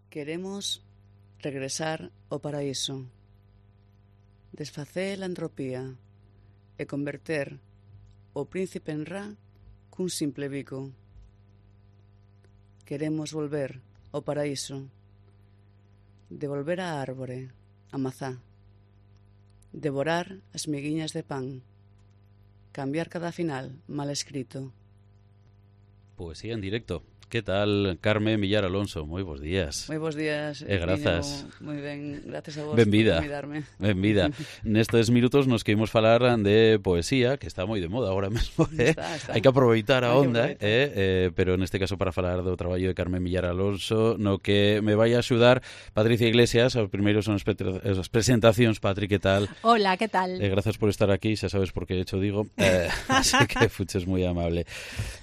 Queremos regresar ao paraíso, desfacer a entropía e converter o príncipe en Ra cun simple bico. Queremos volver ao paraíso, devolver a árbore, a mazá, devorar as miguiñas de pan, cambiar cada final mal escrito. Poesía en directo. Que tal, Carmen Villar Alonso? Moi bons días. Moi bons días. Grazas. Moi ben, gracias a vos Benvida. por convidarme. Benvida. Nestes minutos nos queremos falar de poesía, que está moi de moda agora mesmo, Está. Hai que aproveitar a onda, pero neste caso para falar do traballo de Carmen Villar Alonso, no que me vai a axudar Patricia Iglesias. Os primeiros son as presentacións. Patri, que tal? Hola, que tal? Gracias por estar aquí, xa sabes por que hecho digo, así que fuches moi amable.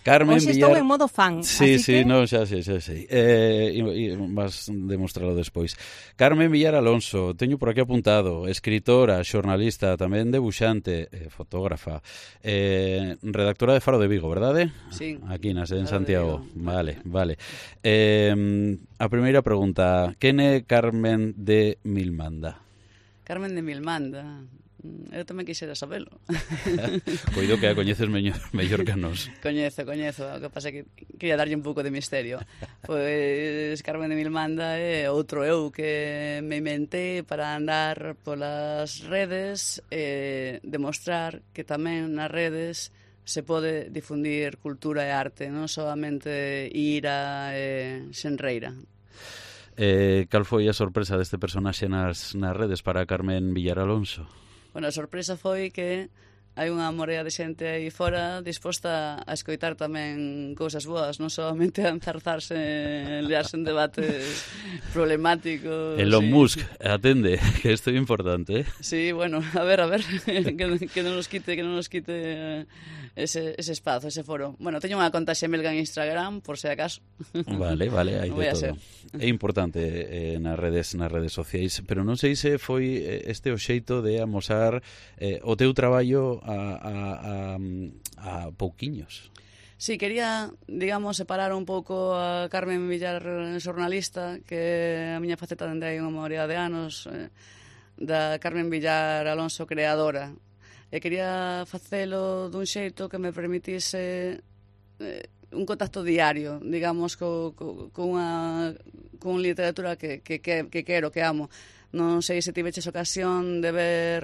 Carmen Hoxe Villar... estou en modo fan. Sí, no, xa sei. E vas demostralo despois. Carmen Villar Alonso, teño por aquí apuntado, escritora, xornalista, tamén debuxante, fotógrafa, redactora de Faro de Vigo, verdade? Sí. Aquí en Santiago. Vale. A primeira pregunta, quen é Carmen de Milmanda? Carmen de Milmanda. Eu tamén quixera sabelo. Coido que a coñeces mellor que a nos. Coñezo. O que pasa é que quería darlle un pouco de misterio. Pois Carmen de Milmanda é outro eu que me inventé para andar polas redes e demostrar que tamén nas redes se pode difundir cultura e arte, non solamente ira e xenreira. Cal foi a sorpresa deste personaxe nas redes para Carmen Villar Alonso? Bueno, a sorpresa foi que hai unha morea de xente aí fora disposta a escoitar tamén cousas boas, non solamente a enzarzarse en liarse en debates problemáticos. Elon Musk, atende, que isto é importante, Sí, bueno, a ver, que non nos quite ese espazo, ese foro. Bueno, teño unha conta xemelga en Instagram, por se acaso. Vale, hai de todo. É importante nas redes sociais, pero non sei se foi este o xeito de amosar o teu traballo a pouquiños. Sí, quería, digamos, separar un pouco a Carmen Villar xornalista, que é a miña faceta dende hai unha maioría de anos, da Carmen Villar Alonso creadora. E quería facelo dun xeito que me permitise un contacto diario, digamos, con literatura que quero, que amo. Non sei se tiveches ocasión de ver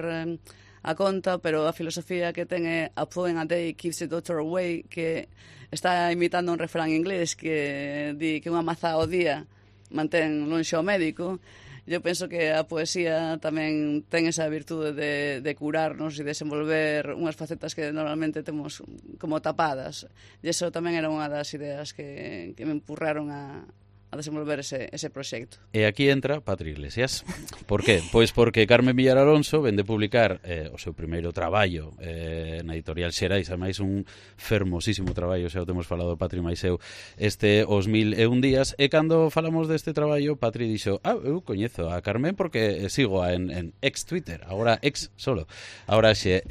a conta, pero a filosofía que ten é a poem a day keeps the doctor away, que está imitando un refrán inglés que di que unha maza ao día mantén lonxe ao médico. Eu penso que a poesía tamén ten esa virtude de curarnos e desenvolver unhas facetas que normalmente temos como tapadas. E iso tamén era unha das ideas que me empurraron a desenvolver ese proxecto. E aquí entra Patri Iglesias. Por qué? Pois porque Carmen Villar Alonso vende publicar o seu primeiro traballo na editorial Xerais, ademais un fermosísimo traballo, xa o temos falado Patri máis eu, Os 1001 días, e cando falamos deste traballo, Patri dixo, eu coñezo a Carmen porque sigo en ex Twitter, agora ex solo, agora xe,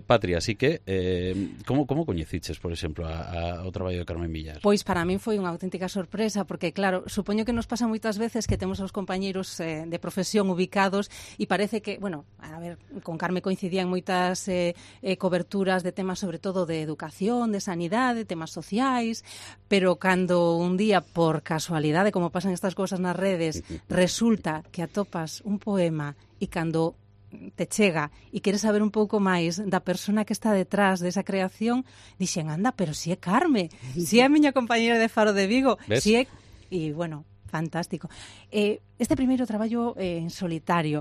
Patri, así que como coñeciches, por exemplo, o traballo de Carmen Villar? Pois para min foi unha auténtica sorpresa, porque claro, supoño que nos pasa moitas veces que temos aos compañeiros de profesión ubicados e parece que, bueno, a ver, con Carme coincidían moitas coberturas de temas sobre todo de educación, de sanidade, temas sociais, pero cando un día, por casualidade, como pasan estas cousas nas redes, resulta que atopas un poema e cando te chega e queres saber un pouco máis da persona que está detrás desa creación, dixen, anda, pero si é Carme, si é a miña compañera de Faro de Vigo, si é... E, bueno, fantástico. Este primeiro traballo en solitario,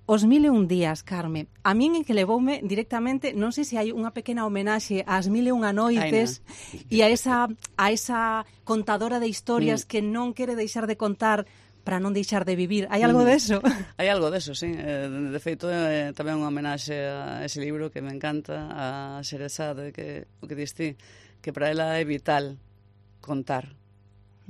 Os 1001 días, Carme, a min en que levoume directamente, non sei se hai unha pequena homenaxe ás 1001 noites e a esa contadora de historias que non quere deixar de contar para non deixar de vivir. Hai algo deso? Hai algo deso, sí. De feito, tamén unha homenaxe a ese libro que me encanta, a Xerezade, que o que diste, que para ela é vital contar.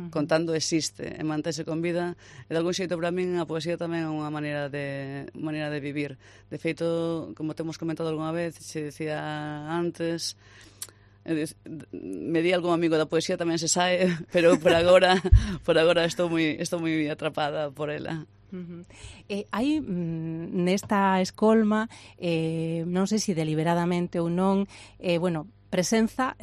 Contando existe e mantese con vida, e de algún xeito para min a poesía tamén é unha maneira de vivir. De feito, como temos comentado algunha vez, se decía antes, Me di algún amigo da poesía tamén se sae, pero por agora estou moi atrapada por ela. Hai nesta escolma, non sei se deliberadamente ou non, presenza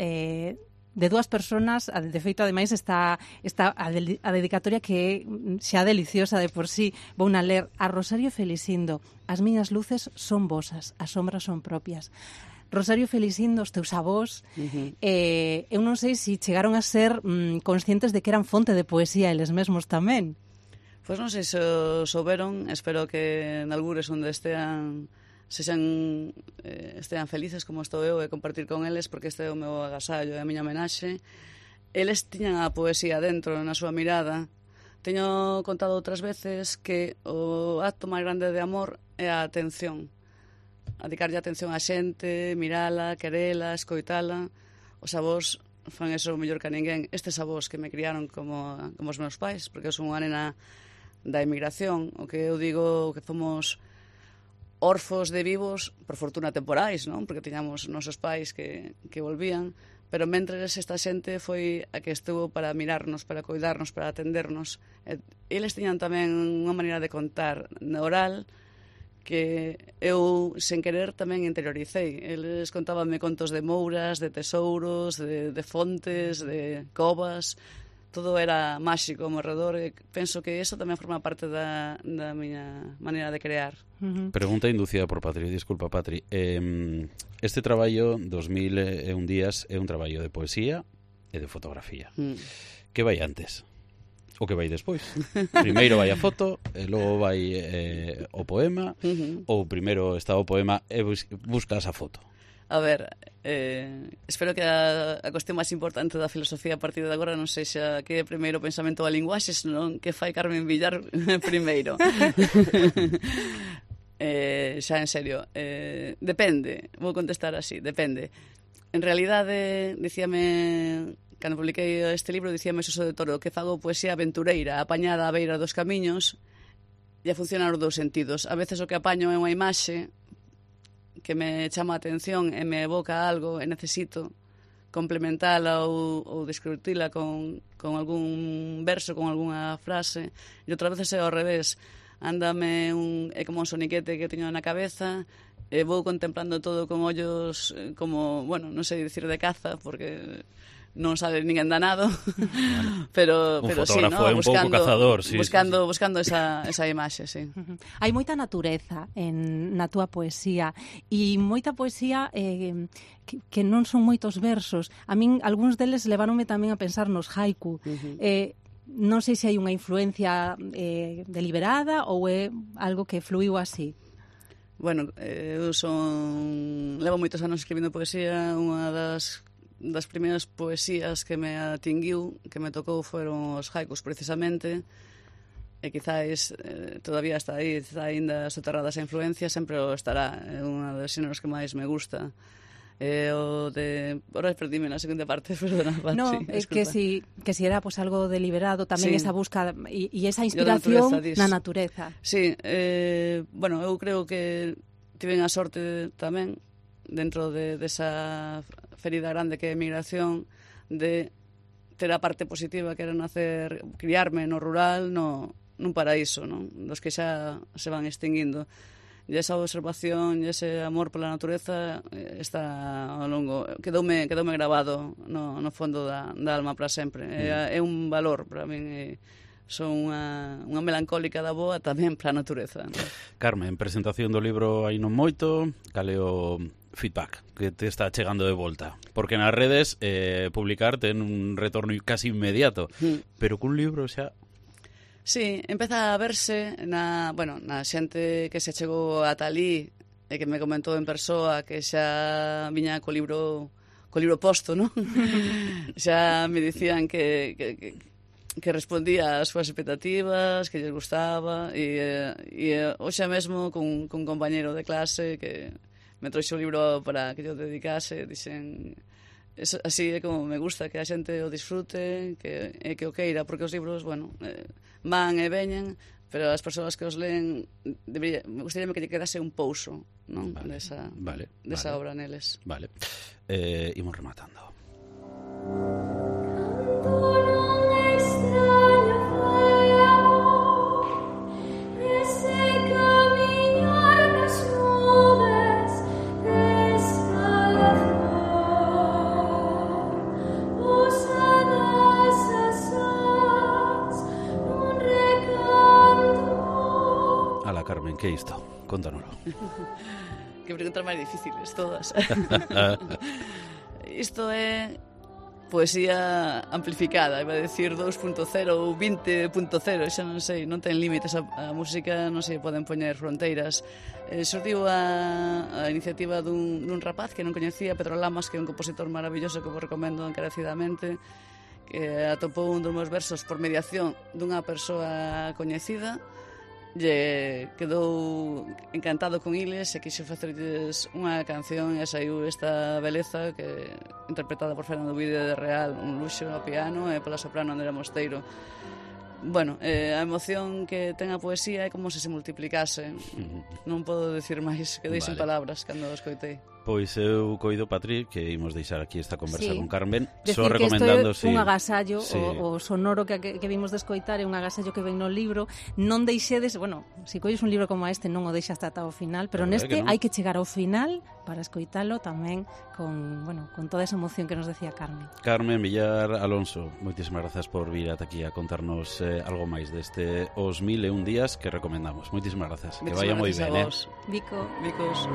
de dúas persoas, de feito, ademais, está a dedicatoria que xa deliciosa de por sí. Vou na ler a Rosario Felisindo. As miñas luces son vosas, as sombras son propias. Rosario Felisindo, os teus avós, eu non sei se chegaron a ser conscientes de que eran fonte de poesía eles mesmos tamén. Pois non sei se o souberon, espero que en algures onde estean felices como estou eu e compartir con eles, porque este é o meu agasallo e a miña homenaxe. Eles tiñan a poesía dentro na súa mirada. Teño contado outras veces que o acto máis grande de amor é a atención. A dedicarlle atención á xente, mirala, querela, escoitala. Os avós fan eso mellor que a ninguén. Estes avós que me criaron como os meus pais, porque eu son unha nena da emigración, o que eu digo que fomos orfos de vivos, por fortuna temporais, non? Porque tiñamos nosos pais que volvían, pero mentres esta xente foi a que estuvo para mirarnos, para cuidarnos, para atendernos. Eles tiñan tamén unha maneira de contar na oral que eu, sen querer, tamén interioricei. Eles contábanme contos de mouras, de tesouros, de fontes, de covas. Todo era máxico ao meu redor e penso que iso tamén forma parte da miña maneira de crear. Pregunta inducida por Patri, disculpa Patri. Este traballo, 2001 días, é un traballo de poesía e de fotografía. Que vai antes? O que vai despois? Primeiro vai a foto, e logo vai o poema, ou primeiro está o poema e buscas a foto? A ver, espero que a cuestión máis importante da filosofía a partir de agora non sexa que é primeiro o pensamento da linguaxe, senón que fai Carmen Villar primeiro. Xa en serio, depende, vou contestar así, depende. En realidade, dicíame, cando publiquei este libro, dicíame Suso de Toro, que fago poesía aventureira, apañada á beira dos camiños, e a funcionar os dous sentidos. A veces o que apaño é unha imaxe que me chama a atención e me evoca algo e necesito complementala ou describirla con algún verso, con algunha frase, e outras veces é ao revés. É como un soniquete que teño na cabeza e vou contemplando todo con ollos como, non sei dicir de caza, porque non sabe ninguén danado, pero sí, fotógrafo é un pouco cazador, sí, buscando esa imaxe, sí. Hai moita natureza na túa poesía e moita poesía que non son moitos versos. A min algúns deles leváronme tamén a pensar nos haiku. Non sei se hai unha influencia deliberada ou é algo que fluiu así. Bueno, eu levo moitos anos escribindo poesía. Unha das primeiras poesías que me atinguiu, que me tocou, foron os haikus, precisamente, e quizáis todavía está aí, está ainda soterrada esa influencia, sempre o estará. É unha dos xéneros que máis me gusta. Ahora perdíme na segunda parte, perdona, Patri. No, que si era algo deliberado, tamén esa busca e esa inspiración na natureza. Sí, eu creo que tiven a sorte tamén, dentro desa ferida grande que é a emigración, de ter a parte positiva que era criarme no rural, nun paraíso, non? Dos que xa se van extinguindo. E esa observación e ese amor pola natureza está ao longo, quedoume grabado no fondo da alma para sempre. É un valor para min. Son unha melancólica da boa tamén para a natureza, non? Carmen, presentación do libro hai non moito, cal é o feedback que te está chegando de volta? Porque nas redes publicar ten un retorno casi inmediato, pero cun libro xa... Sí, empeza a verse na xente que se chegou ata alí e que me comentou en persoa que xa viña co libro posto, non? Xa me dicían que respondía ás súas expectativas, que lles gustaba, e hoxe mesmo cun compañeiro de clase que me trouxe o libro para que yo dedicase, dixen... Así é como me gusta, que a xente o disfrute, que o queira, porque os libros, van e veñen, pero as persoas que os leen, me gustaría que lle quedase un pouso, non? Desa obra neles. Vale. Imos rematando. Carmen, que é isto? Contánoslo. Que preguntas máis difíciles, todas. Isto é poesía amplificada, iba a decir 2.0 ou 20.0, xa non sei, non ten límites, a música non se poden poñer fronteiras. Xordiu a iniciativa dun rapaz que non coñecía, Pedro Lamas, que é un compositor maravilloso que vos recomendo encarecidamente, que atopou un dos meus versos por mediación dunha persoa coñecida, lle quedou encantado con iles e quixo facerlles unha canción e saiu esta beleza que interpretada por Fernando Vide de Real, un luxo ao piano e pola soprano Andrea Mosteiro. Bueno, a emoción que ten a poesía é como se multiplicase. Non podo decir máis, quedei sin palabras cando o escoitei. Pois eu coido, Patri, que imos deixar aquí esta conversa con Carmen, só recomendando que isto é un agasallo, o sonoro que vimos de escoitar é un agasallo que ven no libro. Non deixedes, bueno, se colles un libro como este non o deixas ata o final, pero neste hai que chegar ao final para escoitalo tamén con toda esa emoción que nos decía Carmen. Carmen Villar Alonso, moitísimas grazas por vir ata aquí a contarnos algo máis deste Os 1001 días que recomendamos. Moitísimas grazas. Que vaya moi ben, Vico. Vicos.